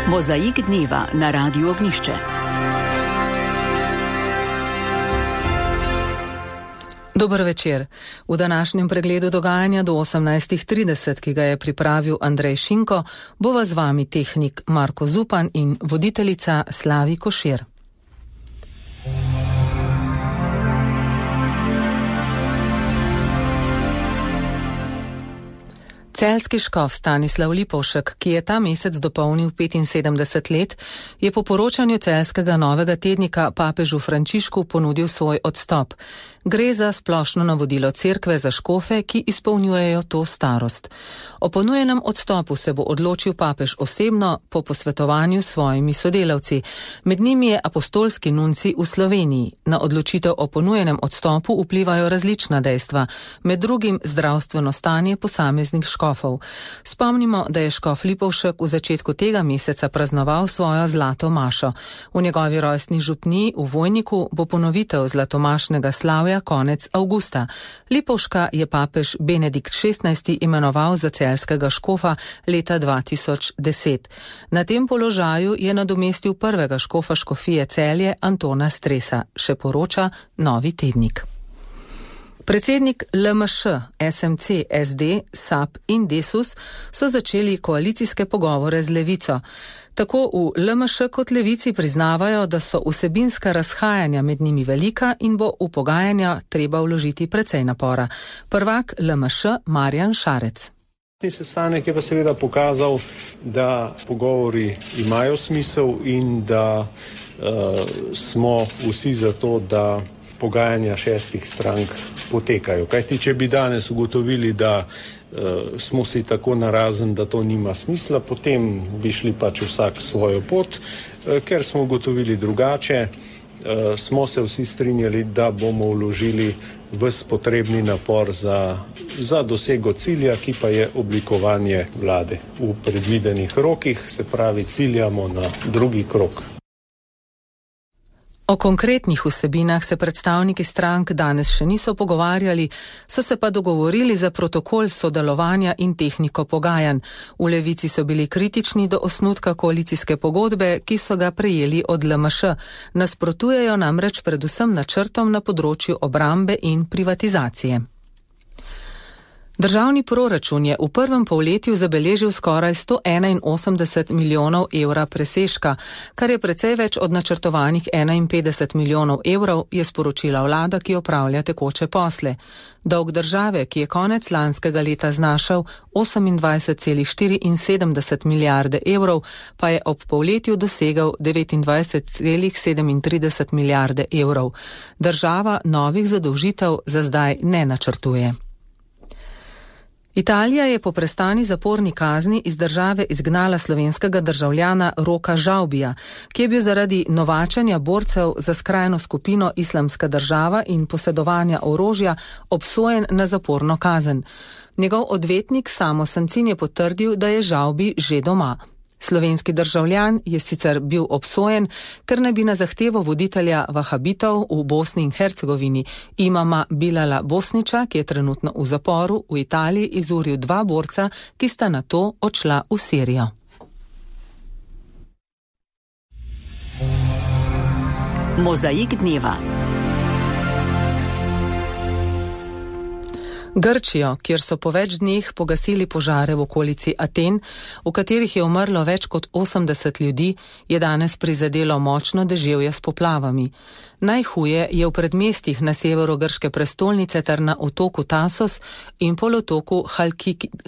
Mozaik dneva na Radiu Ognjišče. Dober večer. V današnjem pregledu dogajanja do 18:30, ki ga je pripravil Andrej Šinko, bova z vami tehnik Marko Zupan in voditeljica Slavi Košir. Celjski škof Stanislav Lipovšek, ki je ta mesec dopolnil 75 let, je po poročanju celjskega Novega tednika papežu Frančišku ponudil svoj odstop. Gre za splošno navodilo cerkve za škofe, ki izpolnjujejo to starost. O ponujenem odstopu se bo odločil papež osebno po posvetovanju s svojimi sodelavci. Med njimi je apostolski nuncij v Sloveniji. Na odločitev o ponujenem odstopu vplivajo različna dejstva, med drugim zdravstveno stanje posameznih škofov. Spomnimo, da je škof Lipovšek v začetku tega meseca praznoval svojo zlato mašo. V njegovi rojstni župniji v Vojniku bo ponovitev zlatomašnega slavja konec avgusta. Lipovška je papež Benedikt XVI imenoval za celjskega škofa leta 2010. Na tem položaju je nadomestil prvega škofa škofije Celje Antona Stresa, še poroča Novi tednik. Predsednik LMŠ, SMC, SD, SAP in Desus so začeli koalicijske pogovore z Levico. Tako v LMŠ kot Levici priznavajo, da so vsebinska razhajanja med njimi velika in bo v pogajanja treba vložiti precej napora. Prvak LMŠ Marjan Šarec. Sestanek je pa seveda pokazal, da pogovori imajo smisel in da smo vsi za to, da pogajanja šestih strank potekajo. Kajti, če bi danes ugotovili, da smo si tako narazen, da to nima smisla, potem bi šli pač vsak svojo pot. Ker smo ugotovili drugače, smo se vsi strinjali, da bomo vložili ves potrebni napor za dosego cilja, ki pa je oblikovanje vlade v predvidenih rokih, se pravi ciljamo na drugi krog. O konkretnih vsebinah se predstavniki strank danes še niso pogovarjali, so se pa dogovorili za protokol sodelovanja in tehniko pogajanj. V Levici so bili kritični do osnutka koalicijske pogodbe, ki so ga prejeli od LMŠ. Nasprotujejo namreč predvsem načrtom na področju obrambe in privatizacije. Državni proračun je v prvem polletju zabeležil skoraj 181 milijonov evra presežka, kar je precej več od načrtovanih 51 milijonov evrov, je sporočila vlada, ki opravlja tekoče posle. Dolg države, ki je konec lanskega leta znašal 28,74 milijarde evrov, pa je ob polletju dosegal 29,37 milijarde evrov. Država novih zadolžitev za zdaj ne načrtuje. Italija je po prestani zaporni kazni iz države izgnala slovenskega državljana Roka Žavbija, ki je bil zaradi novačenja borcev za skrajno skupino Islamska država in posedovanja orožja obsojen na zaporno kazen. Njegov odvetnik Samo Sancin je potrdil, da je Žavbi že doma. Slovenski državljan je sicer bil obsojen, ker naj bi na zahtevo voditelja vahabitov v Bosni in Hercegovini imama Bilala Bosniča, ki je trenutno v zaporu, v Italiji izuril 2 borca, ki sta nato odšla v Sirijo. Mozaik dneva. Grčijo, kjer so po več dneh pogasili požare v okolici Aten, v katerih je umrlo več kot 80 ljudi, je danes prizadelo močno deževje s poplavami. Najhuje je v predmestjih na severu grške prestolnice ter na otoku Tasos in polotoku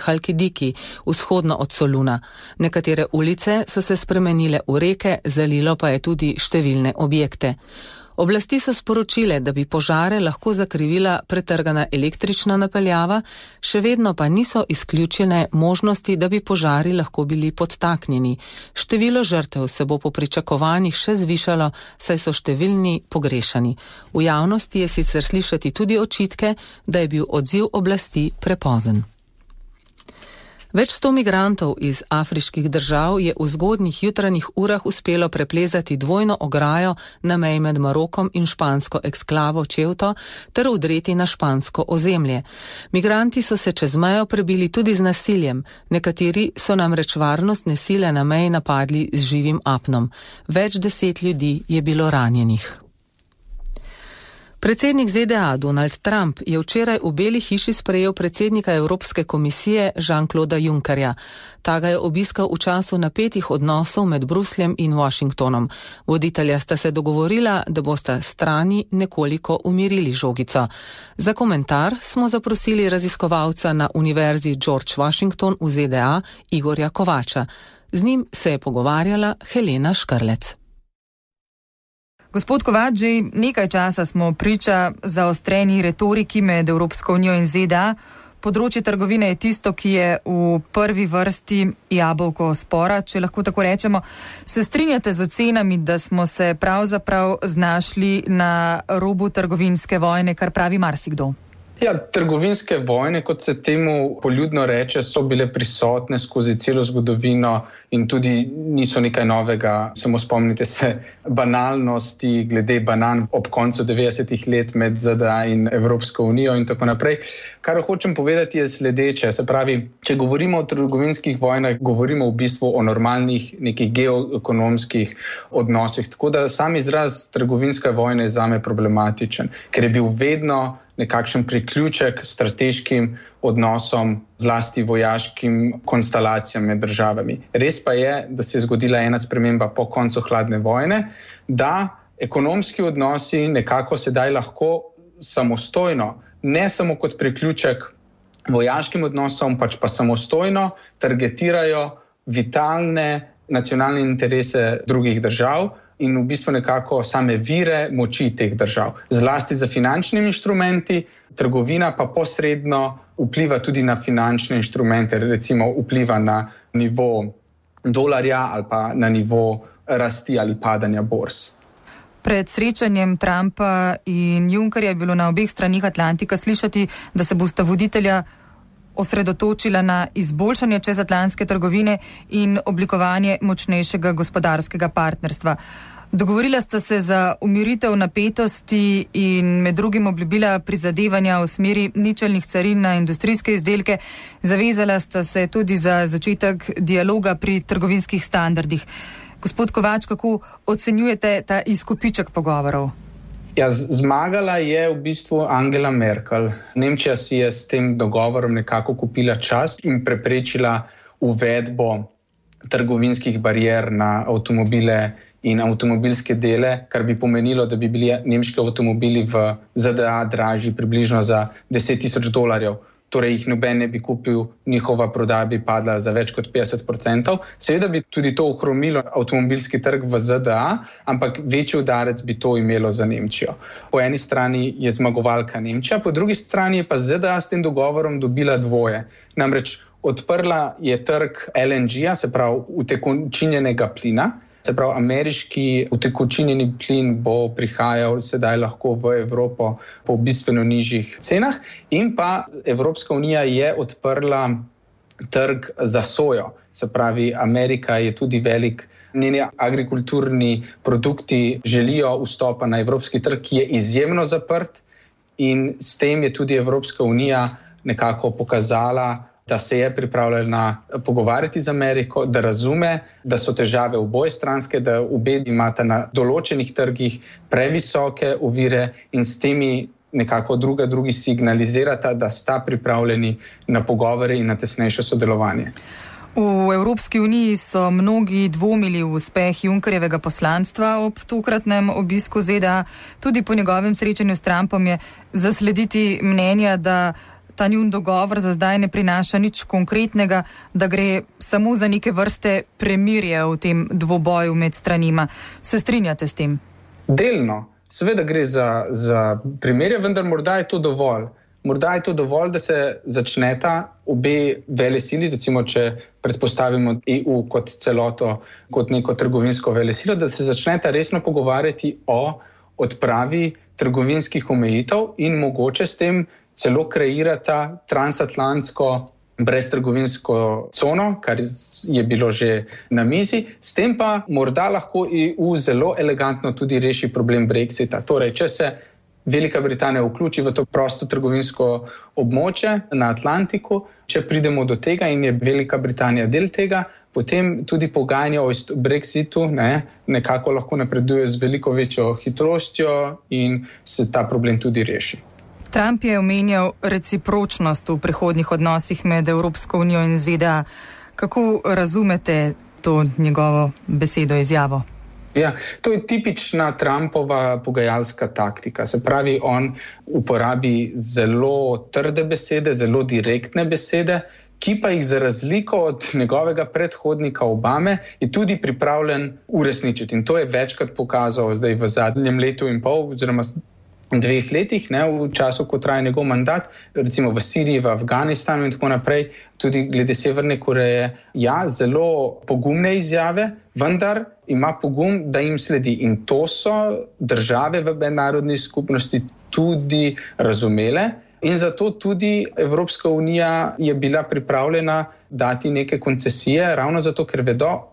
Halkidiki, vzhodno od Soluna. Nekatere ulice so se spremenile v reke, zalilo pa je tudi številne objekte. Oblasti so sporočile, da bi požare lahko zakrivila pretrgana električna napeljava, še vedno pa niso izključene možnosti, da bi požari lahko bili podtaknjeni. Število žrtev se bo po pričakovanjih še zvišalo, saj so številni pogrešani. V javnosti je sicer slišati tudi očitke, da je bil odziv oblasti prepozen. Več 100 migrantov iz afriških držav je v zgodnjih jutranjih urah uspelo preplezati dvojno ograjo na meji med Marokom in špansko eksklavo Ceuto ter vdreti na špansko ozemlje. Migranti so se čez mejo prebili tudi z nasiljem, nekateri so namreč varnostne sile na meji napadli z živim apnom. Več 10 ljudi je bilo ranjenih. Predsednik ZDA Donald Trump je včeraj v Beli hiši sprejel predsednika Evropske komisije Jean-Clauda Junckerja. Ta ga je obiskal v času napetih odnosov med Brusljem in Washingtonom. Voditelja sta se dogovorila, da bosta strani nekoliko umirili žogico. Za komentar smo zaprosili raziskovalca na Univerzi George Washington v ZDA Igorja Kovača. Z njim se je pogovarjala Helena Škrlec. Gospod Kovač, že nekaj časa smo priča zaostreni retoriki med Evropsko unijo in ZDA. Področje trgovine je tisto, ki je v prvi vrsti jabolko spora, če lahko tako rečemo. Se strinjate z ocenami, da smo se pravzaprav znašli na robu trgovinske vojne, kar pravi marsikdo? Ja, trgovinske vojne, kot se temu poljudno reče, so bile prisotne skozi celo zgodovino in tudi niso nekaj novega. Samo spomnite se banalnosti glede banan ob koncu 90-ih let med ZDA in Evropsko unijo in tako naprej. Kar hočem povedati je sledeče, se pravi, če govorimo o trgovinskih vojnah, govorimo v bistvu o normalnih nekih geoekonomskih odnosih. Tako da sam izraz trgovinska vojna je zame problematičen, ker je bil vedno nekakšen priključek strateškim odnosom, zlasti vojaškim konstelacijam med državami. Res pa je, da se je zgodila ena sprememba po koncu hladne vojne, da ekonomski odnosi nekako sedaj lahko samostojno, ne samo kot priključek vojaškim odnosom, pač pa samostojno targetirajo vitalne nacionalne interese drugih držav in v bistvu nekako same vire moči teh držav. Zlasti za finančnimi inštrumenti, trgovina pa posredno vpliva tudi na finančne inštrumente, recimo vpliva na nivo dolarja ali pa na nivo rasti ali padanja borz. Pred srečanjem Trumpa in Junckerja je bilo na obeh stranih Atlantika slišati, da se bosta voditelja osredotočila na izboljšanje čezatlantske trgovine in oblikovanje močnejšega gospodarskega partnerstva. Dogovorila sta se za umiritev napetosti in med drugim obljubila prizadevanja v smeri ničelnih carin na industrijske izdelke. Zavezala sta se tudi za začetek dialoga pri trgovinskih standardih. Gospod Kovač, kako ocenjujete ta izkupiček pogovorov? Ja, zmagala je v bistvu Angela Merkel. Nemčija si je s tem dogovorom nekako kupila čas in preprečila uvedbo trgovinskih barijer na avtomobile in avtomobilske dele, kar bi pomenilo, da bi bili nemški avtomobili v ZDA dražji približno za $10,000. Torej jih noben ne bi kupil, njihova prodaja bi padla za več kot 50%. Seveda bi tudi to ohromilo avtomobilski trg v ZDA, ampak večji udarec bi to imelo za Nemčijo. Po eni strani je zmagovalka Nemčija, po drugi strani je pa ZDA s tem dogovorom dobila dvoje. Namreč odprla je trg LNG-ja, se pravi utekočinjenega plina. Se pravi, ameriški utekočinjeni plin bo prihajal sedaj lahko v Evropo po bistveno nižjih cenah in pa Evropska unija je odprla trg za sojo. Se pravi, Amerika je tudi velik, njeni agrikulturni produkti želijo vstopa na evropski trg, ki je izjemno zaprt in s tem je tudi Evropska unija nekako pokazala, da se je pripravljena pogovarjati z Ameriko, da razume, da so težave obojestranske, da obe imata na določenih trgih previsoke ovire in s temi nekako drugi signalizirata, da sta pripravljeni na pogovore in na tesnejše sodelovanje. V Evropski uniji so mnogi dvomili v uspeh Junckerjevega poslanstva ob tokratnem obisku ZDA. Tudi po njegovem srečanju s Trumpom je zaslediti mnenja, da ta njun dogovor za zdaj ne prinaša nič konkretnega, da gre samo za neke vrste premirje v tem dvoboju med stranima. Se strinjate s tem? Delno. Seveda gre za premirje, vendar morda je to dovolj. Morda je to dovolj, da se začneta obe velesili, recimo če predpostavimo EU kot celoto, kot neko trgovinsko velesilo, da se začneta resno pogovarjati o odpravi trgovinskih omejitev in mogoče s tem celo kreirata transatlantsko breztrgovinsko cono, kar je bilo že na mizi, s tem pa morda lahko EU zelo elegantno tudi reši problem Brexita. Torej, če se Velika Britanija vključi v to prostotrgovinsko območje na Atlantiku, če pridemo do tega in je Velika Britanija del tega, potem tudi pogajanja o Brexitu nekako lahko napreduje z veliko večjo hitrostjo in se ta problem tudi reši. Trump je omenjal recipročnost v prihodnjih odnosih med Evropsko unijo in ZDA. Kako razumete to njegovo besedo, izjavo? Ja, to je tipična Trumpova pogajalska taktika. Se pravi, on uporabi zelo trde besede, zelo direktne besede, ki pa jih za razliko od njegovega predhodnika Obame je tudi pripravljen uresničiti. In to je večkrat pokazal zdaj v zadnjem letu in pol, oziroma 2 letih, v času, ko traja njegov mandat, recimo v Siriji, v Afganistanu in tako naprej, tudi glede Severne Koreje. Ja, zelo pogumne izjave, vendar ima pogum, da jim sledi. In to so države v mednarodni skupnosti tudi razumele. In zato tudi Evropska unija je bila pripravljena dati neke koncesije, ravno zato, ker vedo,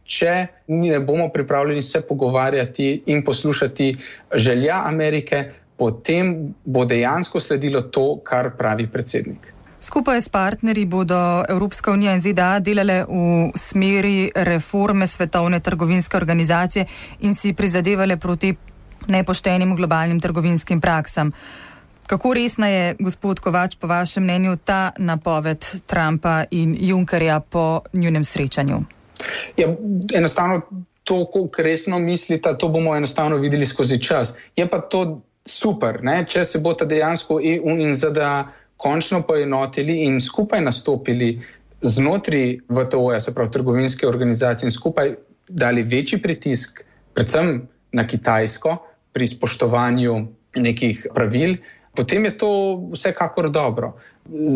če ne bomo pripravljeni se pogovarjati in poslušati želja Amerike, potem bo dejansko sledilo to, kar pravi predsednik. Skupaj s partnerji bodo Evropska unija in ZDA delale v smeri reforme Svetovne trgovinske organizacije in si prizadevale proti nepoštenim globalnim trgovinskim praksam. Kako resna je, gospod Kovač, po vašem mnenju ta napoved Trumpa in Junckerja po njunem srečanju? Ja, enostavno to, koliko resno mislita, to bomo enostavno videli skozi čas. Je pa to super, če se bo ta dejansko EU in ZDA končno poenotili in skupaj nastopili znotraj VTO-ja, se pravi trgovinske organizacije, in skupaj dali večji pritisk, predvsem na Kitajsko, pri spoštovanju nekih pravil, potem je to vsekakor dobro.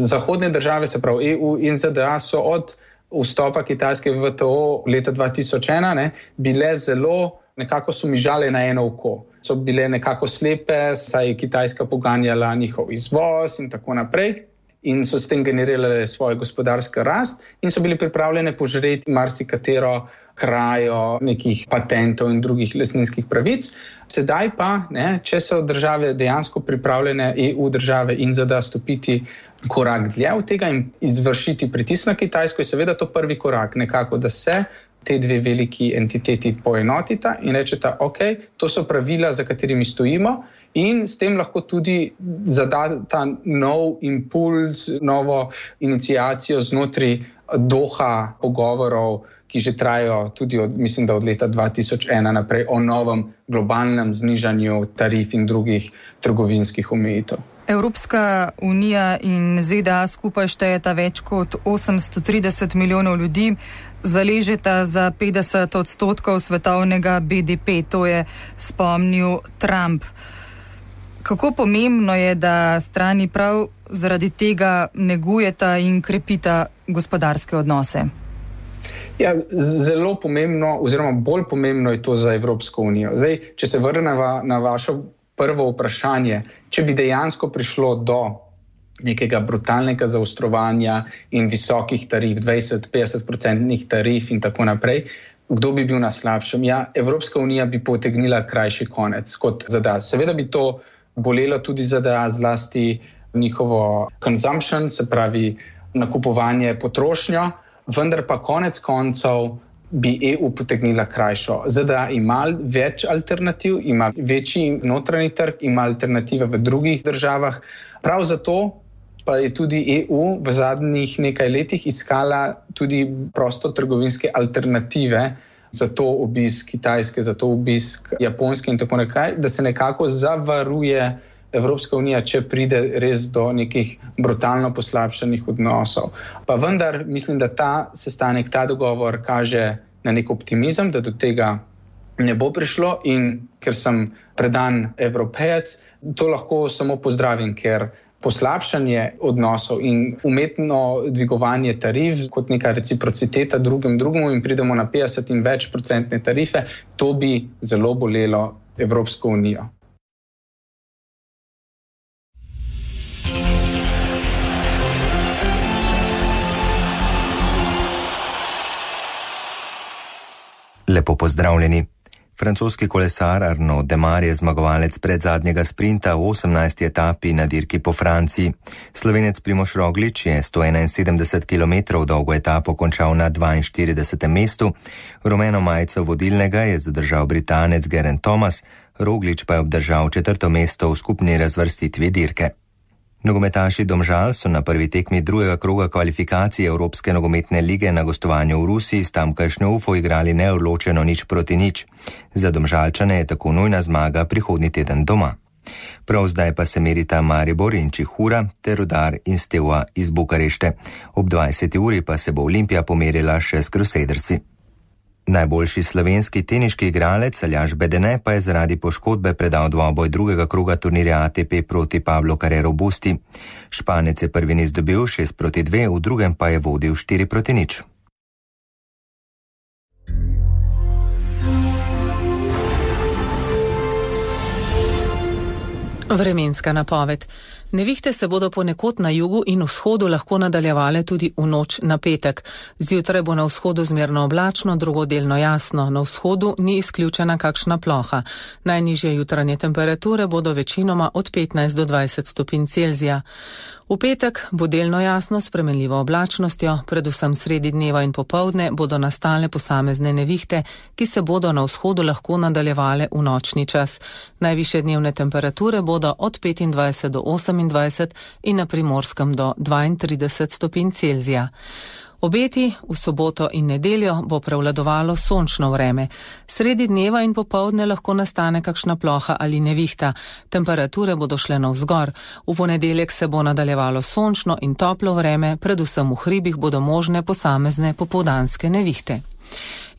Zahodne države, se pravi EU in ZDA, so od vstopa Kitajske v VTO leta 2001 bile zelo nekako sumižale na eno oko. So bile nekako slepe, saj je Kitajska poganjala njihov izvoz in tako naprej in so s tem generirale svojo gospodarsko rast in so bili pripravljene požreti marsikatero krajo nekih patentov in drugih lastninskih pravic. Sedaj pa, če so države dejansko pripravljene, EU države in ZDA stopiti korak dlje od tega in izvršiti pritisk na Kitajsko, je seveda to prvi korak, nekako, da se te dve veliki entiteti poenotita in rečeta, to so pravila, za katerimi stojimo in s tem lahko tudi zada ta nov impuls, novo iniciacijo znotraj Doha pogovorov, ki že trajajo tudi mislim, da od leta 2001 naprej o novem globalnem znižanju tarif in drugih trgovinskih omejitev. Evropska unija in ZDA skupaj štejeta več kot 830 milijonov ljudi, zaležeta za 50% svetovnega BDP, to je spomnil Trump. Kako pomembno je, da strani prav zaradi tega negujeta in krepita gospodarske odnose? Ja, zelo pomembno, oziroma bolj pomembno je to za Evropsko unijo. Zdaj, če se vrnemo na vaše prvo vprašanje, če bi dejansko prišlo do nekega brutalnega zaostrovanja in visokih tarif, 20-50% tarif in tako naprej, kdo bi bil na slabšem? Ja, Evropska unija bi potegnila krajši konec kot ZDA. Seveda bi to bolelo tudi ZDA, zlasti njihovo consumption, se pravi nakupovanje, potrošnjo, vendar pa konec koncev bi EU potegnila krajšo. ZDA ima več alternativ, ima večji notranji trg, ima alternative v drugih državah. Prav zato pa je tudi EU v zadnjih nekaj letih iskala tudi prostotrgovinske alternative za to obisk Kitajske, za to obisk Japonske in tako nekaj, da se nekako zavaruje Evropska unija, če pride res do nekih brutalno poslabšanih odnosov. Pa vendar mislim, da ta sestanek, ta dogovor kaže na nek optimizem, da do tega ne bo prišlo in ker sem predan Evropejec, to lahko samo pozdravim, ker poslabšanje odnosov in umetno dvigovanje tarif kot neka reciprociteta drugemu in pridemo na 50 in več procentne tarife, to bi zelo bolelo Evropsko unijo. Lepo pozdravljeni. Francoski kolesar Arnaud Démare je zmagovalec predzadnjega sprinta v 18. etapi na dirki po Franciji. Slovenec Primož Roglič je 171 km dolgo etapo končal na 42. mestu. Rumeno majico vodilnega je zadržal Britanec Geraint Thomas, Roglič pa je obdržal 4. mesto v skupni razvrstitvi dirke. Nogometaši Domžal so na prvi tekmi drugega kroga kvalifikacije Evropske nogometne lige na gostovanju v Rusiji s tamkajšnjo Ufo igrali neodločeno 0-0. Za Domžalčane je tako nujna zmaga prihodnji teden doma. Prav zdaj pa se merita Maribor in Čihura ter Rudar in Steaua iz Bukarešte. Ob 20. uri pa se bo Olimpija pomerila še s Crusadersi. Najboljši slovenski teniški igralec Aljaž Bedene pa je zaradi poškodbe predal dvoboj drugega kroga turnirja ATP proti Pablo Carrero Busti. Španec je prvi niz dobil 6-2, v drugem pa je vodil 4-0. Vremenska napoved. Nevihte se bodo ponekod na jugu in vzhodu lahko nadaljevale tudi v noč na petek. Zjutraj bo na vzhodu zmerno oblačno, drugodelno jasno. Na vzhodu ni izključena kakšna ploha. Najnižje jutranje temperature bodo večinoma od 15 do 20 stopinj Celzija. V petek bo delno jasno s spremenljivo oblačnostjo, predvsem sredi dneva in popoldne bodo nastale posamezne nevihte, ki se bodo na vzhodu lahko nadaljevale v nočni čas. Najvišje dnevne temperature bodo od 25 do 28 in na Primorskem do 32 stopinj Celzija. Obeti v soboto in nedeljo bo prevladovalo sončno vreme. Sredi dneva in popoldne lahko nastane kakšna ploha ali nevihta. Temperature bodo šle navzgor. V ponedeljek se bo nadaljevalo sončno in toplo vreme, predvsem v hribih bodo možne posamezne popoldanske nevihte.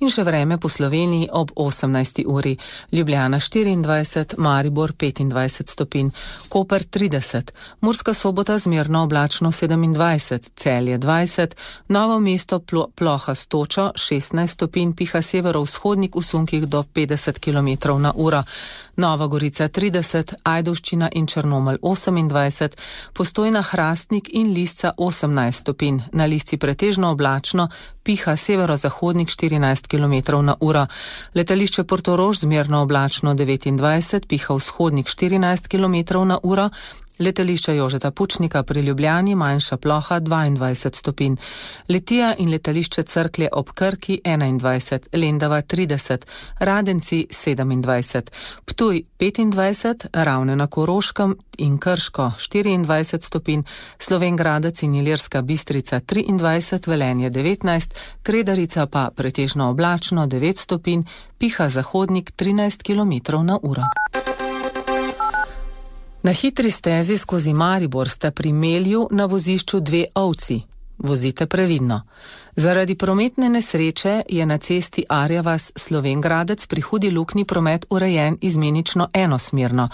In še vreme po Sloveniji ob 18. uri. Ljubljana 24, Maribor 25 stopinj, Koper 30, Murska Sobota zmerno oblačno 27, Celje 20, Novo mesto ploha s točo 16 stopinj, piha severovzhodnik v sunkih do 50 km/h. Nova Gorica 30, Ajdovščina in Črnomelj 28, Postojna, Hrastnik in Lisca 18 stopinj, na Lisci pretežno oblačno, piha severozahodnik 14 km/h. Letališče Portorož zmerno oblačno 29, piha vzhodnik 14 km/h. Letališče Jožeta Pučnika pri Ljubljani manjša ploha 22 stopinj. Litija in letališče Cerklje ob Krki 21, Lendava 30, Radenci 27, Ptuj 25, Ravne na Koroškem in Krško 24 stopinj, Slovenj Gradec in Ilirska Bistrica 23, Velenje 19, Kredarica pa pretežno oblačno 9 stopinj, piha zahodnik 13 km/h. Na hitri stezi skozi Maribor sta pri Melju na vozišču 2 ovci. Vozite previdno. Zaradi prometne nesreče je na cesti Arja vas Slovenj Gradec pri Hudi Luknji promet urejen izmenično enosmerno.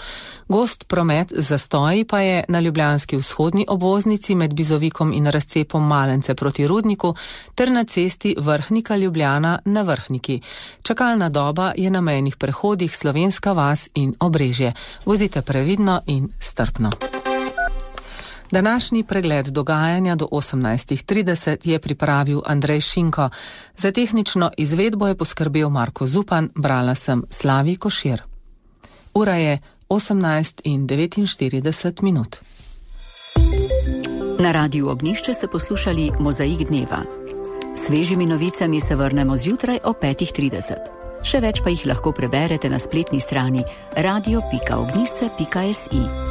Gost promet z zastoji pa je na ljubljanski vzhodni obvoznici med Bizovikom in razcepom Malence proti Rudniku ter na cesti Vrhnika Ljubljana na Vrhniki. Čakalna doba je na mejnih prehodih Slovenska vas in Obrežje. Vozite previdno in strpno. Današnji pregled dogajanja do 18.30 je pripravil Andrej Šinko. Za tehnično izvedbo je poskrbel Marko Zupan, brala sem Slavi Košir. Ura je 18:49. Na Radiu Ognjišče ste poslušali Mozaik dneva. Svežimi novicami se vrnemo zjutraj o 5:30. Še več pa jih lahko preberete na spletni strani radio.ognjišče.si.